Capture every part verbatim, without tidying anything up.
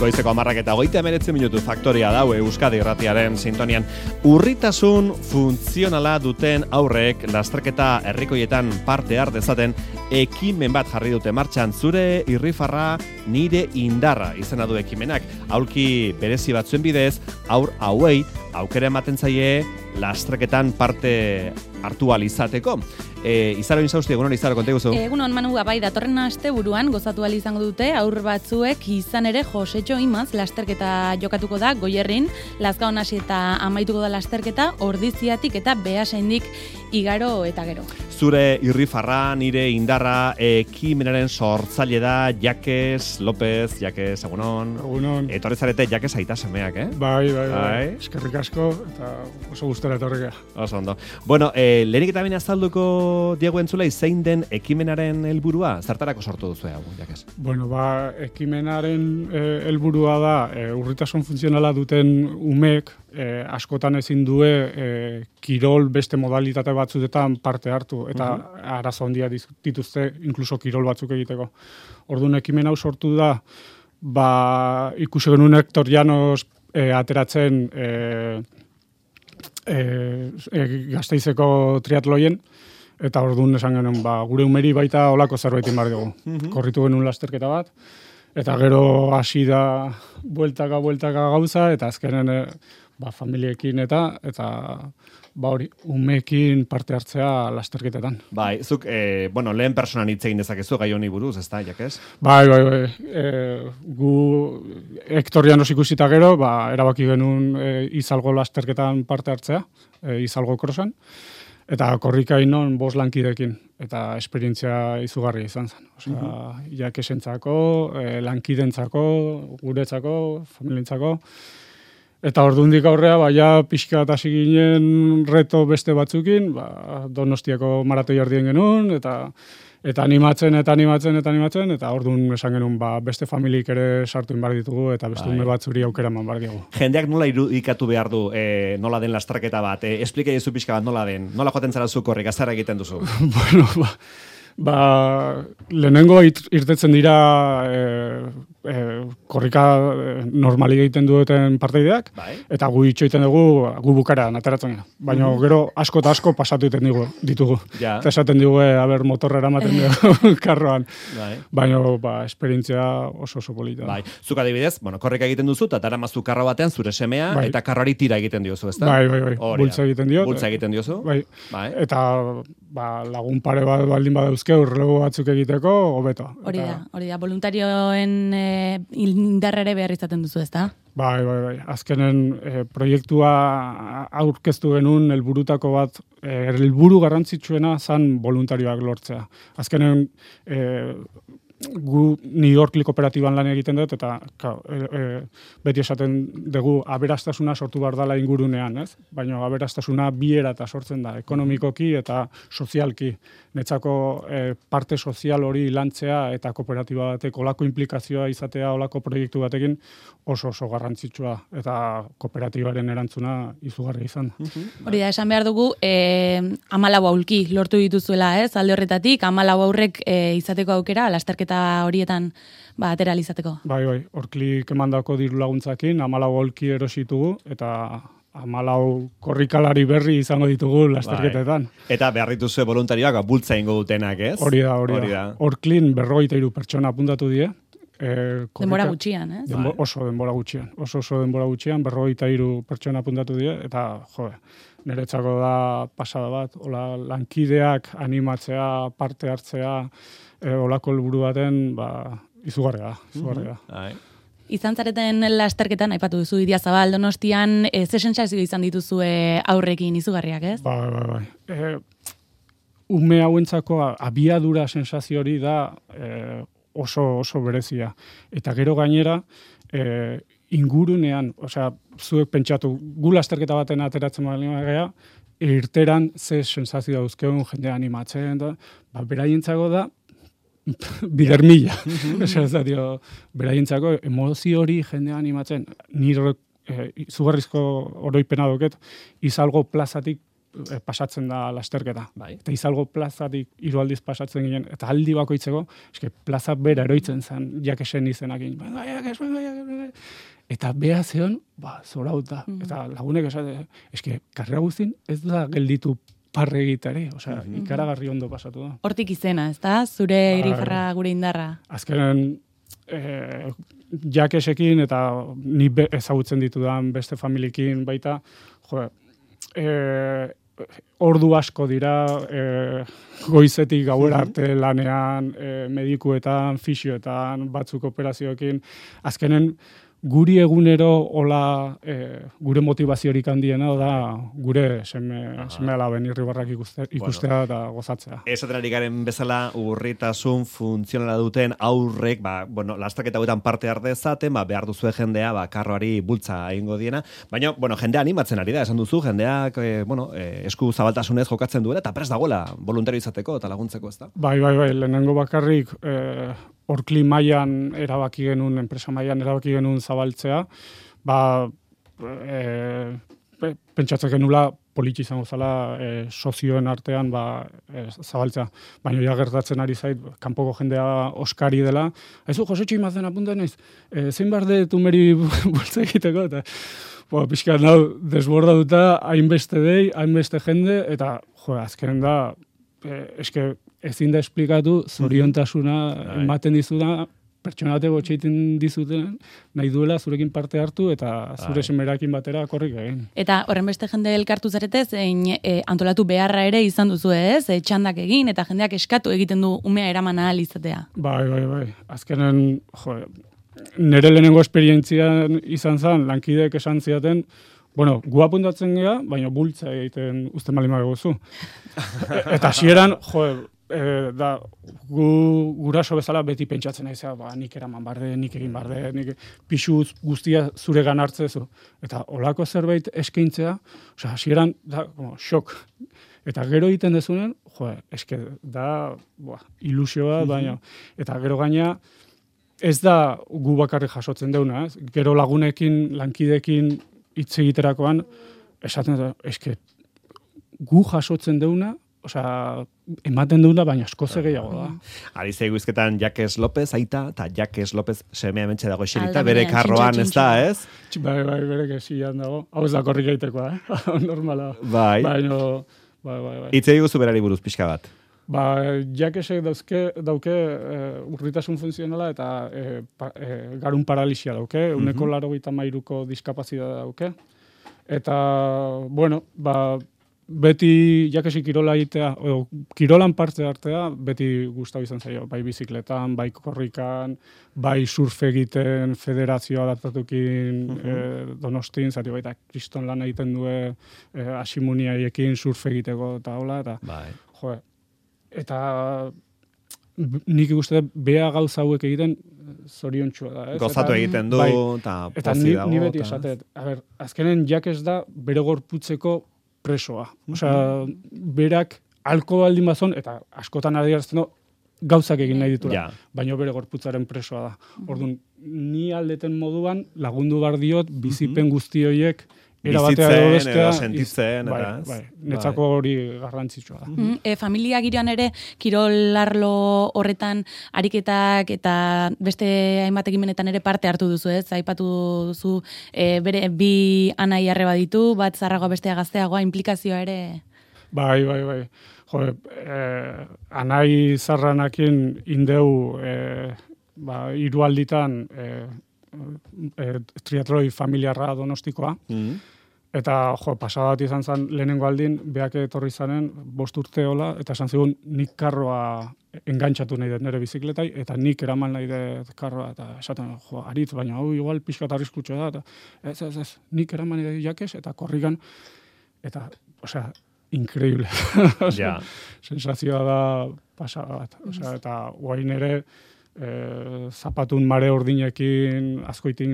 Goizeko hamarrak eta hogeita hemeretzi minutu faktoria daue Euskadi Irratiaren sintonian. Urritasun funtzionala duten aurrek lasterketa herrikoietan parte har dezaten ekimen bat jarri dute martxan. Zure irrifarra nire indarra izena du ekimenak. Aulki berezi batzuen bidez, aur hauei aukera ematen zaie lasterketan parte hartu ahal izateko. E, Izaro Inzausti, egunon Izaro, konte guzu? Egunon, Manu, bai, datorren aste buruan gozatu ahal izango dute, aur batzuek izan ere Josetxo Imaz lasterketa jokatuko da Goierrin, Lazkaon hasi eta amaituko da lasterketa, Ordiziatik eta Beasaindik igaro eta gero. Zure irrifarra, nire indarra, ekimenaren sortzaile da Jakes López, Jakes, egunon. Egunon. Etorri zarete Jakes aita semeak, eh? Bai, bai, bai. Bai. Eskerrik asko eta oso gustora etorrika. Oso ondo. Bueno, eh, lehenik eta baina azalduko Diego entzulei zein den ekimenaren helburua? Zertarako sortu duzu hau, Jakes? Bueno, ba, ekimenaren eh, helburua da eh, urritasun funtzionala duten umek eh, askotan ezin due eh, kirol beste modalitate batzuetan parte hartu eta uh -huh. arazo handia dituzte inkluso kirol batzuk egiteko. Orduan ekimen hau sortu da ba ikusi genuen Hector Llanos eh, ateratzen eh, eh, eh, Gasteizeko triatloien eta orduan esan genuen ba gure umeri baita holako zerbait egin behar dugu. Uh -huh. Korritu genuen lasterketa bat eta gero hasi da bueltaka bueltaka gauza eta azkenen eh, ba familiekin eta eta ba hori, umeekin parte hartzea lasterketetan. Bai, zuk, eh, bueno, lehen personan hitz egin dezakezu gai honi buruz, ezta, Jakes? Bai, bai, bai. E, gu Hector Llanos ikusita gero, ba, erabaki genuen e, izalgo lasterketan parte hartzea, e, izalgo krosan, eta korrika inon bost lankidekin, eta esperientzia izugarria izan zen. Osea, uh-huh. Jakesentzako, e, lankidentzako, guretzako, familientzako, eta ordundik aurrea, ba, ja pixka bat hasi ginen reto beste batzukin, ba, Donostiako maratoi ardien genuen, eta eta animatzen, eta animatzen, eta animatzen, eta ordun esan genuen, ba, beste familik ere sartu inbar ditugu, eta beste ume batzuri aukera eman bar diegu. Jendeak nola irudikatu behar du, e, nola den lasterketa bat, e, esplika jezu pixka bat nola den, nola joaten zara zu korrik, azara egiten duzu? Bueno, ba, ba, lehenengo irtetzen dira e, e, korrika normali egiten dueten parteideak, bai. Eta gu itxoiten dugu, gu bukaran ateratzen gara. Baina mm. gero asko eta asko pasatu egiten digu, ditugu. Ja. Eta esaten digu, e, aber motorra eramaten dugu karroan. Bai. Baina, ba, esperientzia oso oso polita. Bai. Zuk adibidez, bueno, korrika egiten duzu, eta daramazu karro batean zure semea, bai. Eta karroari tira egiten diozu, ezta? Bai, bai, bai. Bultza egiten dio. Bultza egiten diozu. Bai. Bai. Eta ba, lagun pare bat baldin badauzke urrelego batzuk egiteko, hobeto. Hori da, hori da. Voluntarioen e, indarrere behar izaten duzu, ezta? Bai, bai, bai. Azkenen e, proiektua aurkeztu genuen helburutako bat, e, helburu garrantzitsuena zan voluntarioak lortzea. Azkenen e, gu New York kooperatiban lan egiten dut, eta ka, e, e, beti esaten dugu aberastasuna sortu behar dela ingurunean, ez? Baina aberastasuna biera eta sortzen da, ekonomikoki eta sozialki. Netzako e, parte sozial hori lantzea eta kooperatiba batek olako implikazioa izatea olako proiektu batekin oso oso garrantzitsua eta kooperatibaren erantzuna izugarri izan. Hori da, esan behar dugu, e, hamalau aulki lortu dituzuela, ez? Alde horretatik, hamalau aurrek e, izateko aukera, lasterketa horietan ba, atera izateko. Bai, bai, horklik emandako diru laguntzakin, hamalau aulki erositugu, eta hamalau korrikalari berri izango ditugu lasterketetan. Bai. Eta behar dituzue voluntarioak bultza ingo dutenak, ez? Hori da, hori da. Horklin berrogeita hiru pertsona apuntatu die. E, korrika, denbora gutxian, ez? Denbo, oso denbora gutxian. Oso oso denbora gutxian, berrogeita hiru pertsona apuntatu die, eta, jo, niretzako da pasada bat, hola, lankideak animatzea, parte hartzea, e, olako helburu baten, ba, izugarria da, izugarria da. Mm-hmm. Izan zareten lasterketan, aipatu duzu Idiazabal, Donostian, e, ze sentsazio izan dituzue aurrekin izugarriak, ez? Bai, bai, bai. E, ume hauentzako abiadura sensazio hori da e, oso oso berezia. Eta gero gainera, e, ingurunean, osea, zuek pentsatu, gu lasterketa baten ateratzen baldin bagea, irteran ze sensazio dauzkeun jende animatzen, da, ba, beraientzako da, bider mila. Esa da, dio, beraientzako emozio hori jende animatzen, nire e, izugarrizko oroipena doket, izalgo plazatik e, pasatzen da lasterketa. Bai. Eta izalgo plazatik hiru aldiz pasatzen ginen, eta aldi bakoitzeko, eske plaza bera eroitzen zen, jakesen izenakin. Venga, jakes, venga, jakes, eta beha zeon, ba, zorauta. Mm. Eta lagunek esate, eske, karrera guztin ez da gelditu parre egitare, osea, mm-hmm. ikaragarri ondo pasatu da. Hortik izena, ez da? Zure ba, irifarra gure indarra. Azkenen, eh, jakesekin eta ni be, ezagutzen ditudan beste familiekin baita, jo, eh, ordu asko dira, eh, goizetik gauera arte lanean, eh, medikuetan, fisioetan, batzuk operazioekin, azkenen, guri egunero hola eh, gure motivaziorik handiena da gure seme, seme alaben irribarrak ikuste, ikustea bueno, eta gozatzea. Esaten ari garen bezala urritasun funtzionala duten aurrek, ba, bueno, lastaketa hauetan parte har dezaten, ba, behar duzue jendea, ba, karroari bultza egingo diena, baina, bueno, jendea animatzen ari da, esan duzu, jendeak, eh, bueno, eh, esku zabaltasunez jokatzen duela, eta prest dagoela voluntario izateko eta laguntzeko, ez da? Bai, bai, bai, lehenengo bakarrik, eh, Orkli mailan erabaki genuen, enpresa mailan erabaki genuen zabaltzea, ba, e, pentsatzen genula politxe izango zala e, sozioen artean ba, e, zabaltzea. Baina ja gertatzen ari zait, kanpoko jendea oskari dela. Aizu, Josetxo imazen apunta naiz, e, zein bar de tumeri bultza egiteko, eta bo, pixka nau, desborda duta, hainbeste dei, hainbeste jende, eta jo, azkenen da, e, eske, ezin da esplikatu, zoriontasuna ematen dizuna, pertsona bateko txeiten dizuten, nahi duela zurekin parte hartu eta zure semerakin batera korrik egin. Eta horren beste jende elkartu zarete, zein e, antolatu beharra ere izan duzu ez, e, txandak egin eta jendeak eskatu egiten du umea eraman ahal izatea. Bai, bai, bai. Azkenen, jo, nire lehenengo esperientzian izan zen, lankideek esan ziaten, bueno, gu apuntatzen gea, baina bultza egiten uste malima beguzu. Eta hasieran, jo, E, da, gu, guraso bezala beti pentsatzen naizea, ba, nik eraman barde, nik egin barde, nik pixuz guztia zuregan hartzezu. Eta olako zerbait eskaintzea, osea, hasieran da, como, xok. Eta gero egiten dezunen, jo, eske da, boa, ilusioa, baina, eta gero gaina, ez da gu bakarrik jasotzen deuna, ez? Gero lagunekin, lankidekin hitz egiterakoan, esaten da, eske, gu jasotzen deuna, osea, ematen duna, baina asko ze gehiago da. Ari zeigu izketan Jakes López, aita, eta Jakes López semea mentxe dago eserita, bere karroan ez da, ez? Bai, bai, bere kesian dago. Hau ez da korrik egitekoa, eh? Normala. Bai. Baina, bai, bai, bai. Itzei guzu berari buruz pixka bat. Ba, Jakesek dauzke, dauke e, urritasun funtzionala eta e, pa, e, garun paralisia dauke, uh-huh. uneko laro gita mairuko diskapazitatea dauke. Eta, bueno, ba, beti jakesi kirola egitea, o, kirolan parte hartzea, beti gustau izan zaio, bai bizikletan, bai korrikan, bai surf egiten, federazioa adaptatukin uh-huh. e, Donostin, zati baita kriston lan egiten due e, asimuniaiekin surf egiteko eta hola, eta bai. Jo, eta nik ikuste bea gauza hauek egiten zoriontsua da, ez? Gozatu eta, egiten du, bai, eta eta pozi ni, dago. Ni beti ta... esatet, a ber, azkenen Jakes da bere gorputzeko presoa. Osea, berak alko baldin bazon, eta askotan adierazten du, gauzak egin nahi ditura. Ja. Baina bere gorputzaren presoa da. Orduan, ni aldeten moduan lagundu bar diot bizipen guzti horiek erabatea edo bestea. Edo sentitzen, bai, eta ez? Bai, netzako hori garrantzitsua da. Mm-hmm. E, familia giroan ere, kirolarlo horretan ariketak eta beste hainbat ekimenetan ere parte hartu duzu, ez? Aipatu duzu e, bere bi anai arreba ditu, bat zarragoa bestea gazteagoa, implikazioa ere... Bai, bai, bai. Jo, eh, anai zarranakin indeu eh, ba, hiru alditan eh, eh, triatloi familiarra Donostikoa. Mm-hmm. Eta, jo, pasadat izan zen lehenengo aldin, beak etorri zanen, bost urte hola, eta esan zigun nik karroa engantzatu nahi dut nire bizikletai, eta nik eraman nahi dut karroa, eta esaten, jo, aritz, baina hau igual pixka eta arriskutxo da, eta ez, ez, ez, nik eraman nahi dut Jakes, eta korrikan, eta, osea, increíble. Ja. Sensazioa da pasada bat. Osea, eta guain ere, E, zapatun mare ordinekin azkoitin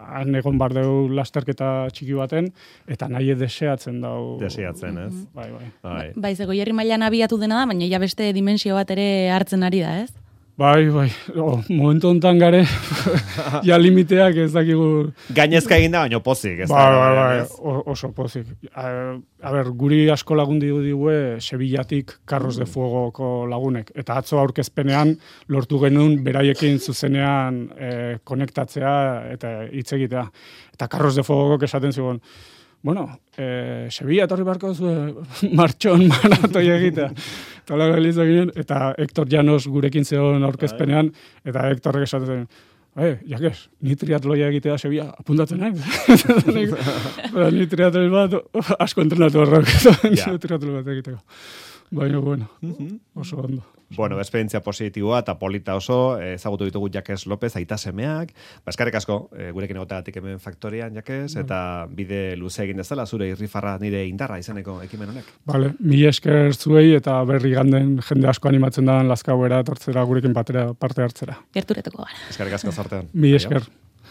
han egon bar deu lasterketa txiki baten, eta nahi deseatzen dau. Deseatzen, ez? Bai, bai. Bai, bai ze Goierri mailan abiatu dena da, baina ja beste dimensio bat ere hartzen ari da, ez? Bai, bai, o, momentu honetan gare, ja limiteak ez dakigu... Gainezka egin da, baina pozik, ez bai, da? Bai, bai, oso pozik. A, a ber, guri asko lagundi du digue Sevillatik Carros de Fuegoko lagunek. Eta atzo aurkezpenean lortu genuen beraiekin zuzenean e, konektatzea eta hitz egitea. Eta Carros de Fuegok esaten zigun, bueno, e, Sevilla etorri barko zuen martxon maratoi egitea. Eta Hector Llanos gurekin zegoen aurkezpenean, eta Hectorrek esaten zen, eh, jakez, ni triatloia egitea Sevilla, apuntatzen nahi. Ni triatloi bat, asko entrenatu horrek, triatloi bat egiteko. Baina, bueno, oso ondo. Bueno, esperientzia positiboa eta polita oso, ezagutu ditugu Jakes López, aita semeak, baskarek asko, e, gurekin egotegatik hemen faktorian, Jakes, eta bide luze egin dezala, zure irrifarra nire indarra izeneko ekimen honek. Vale, mi esker zuei eta berri ganden jende asko animatzen da Lazkaoera etortzera gurekin batera parte hartzera. Gerturatuko gara. Eskarrik asko zortean. Mi esker.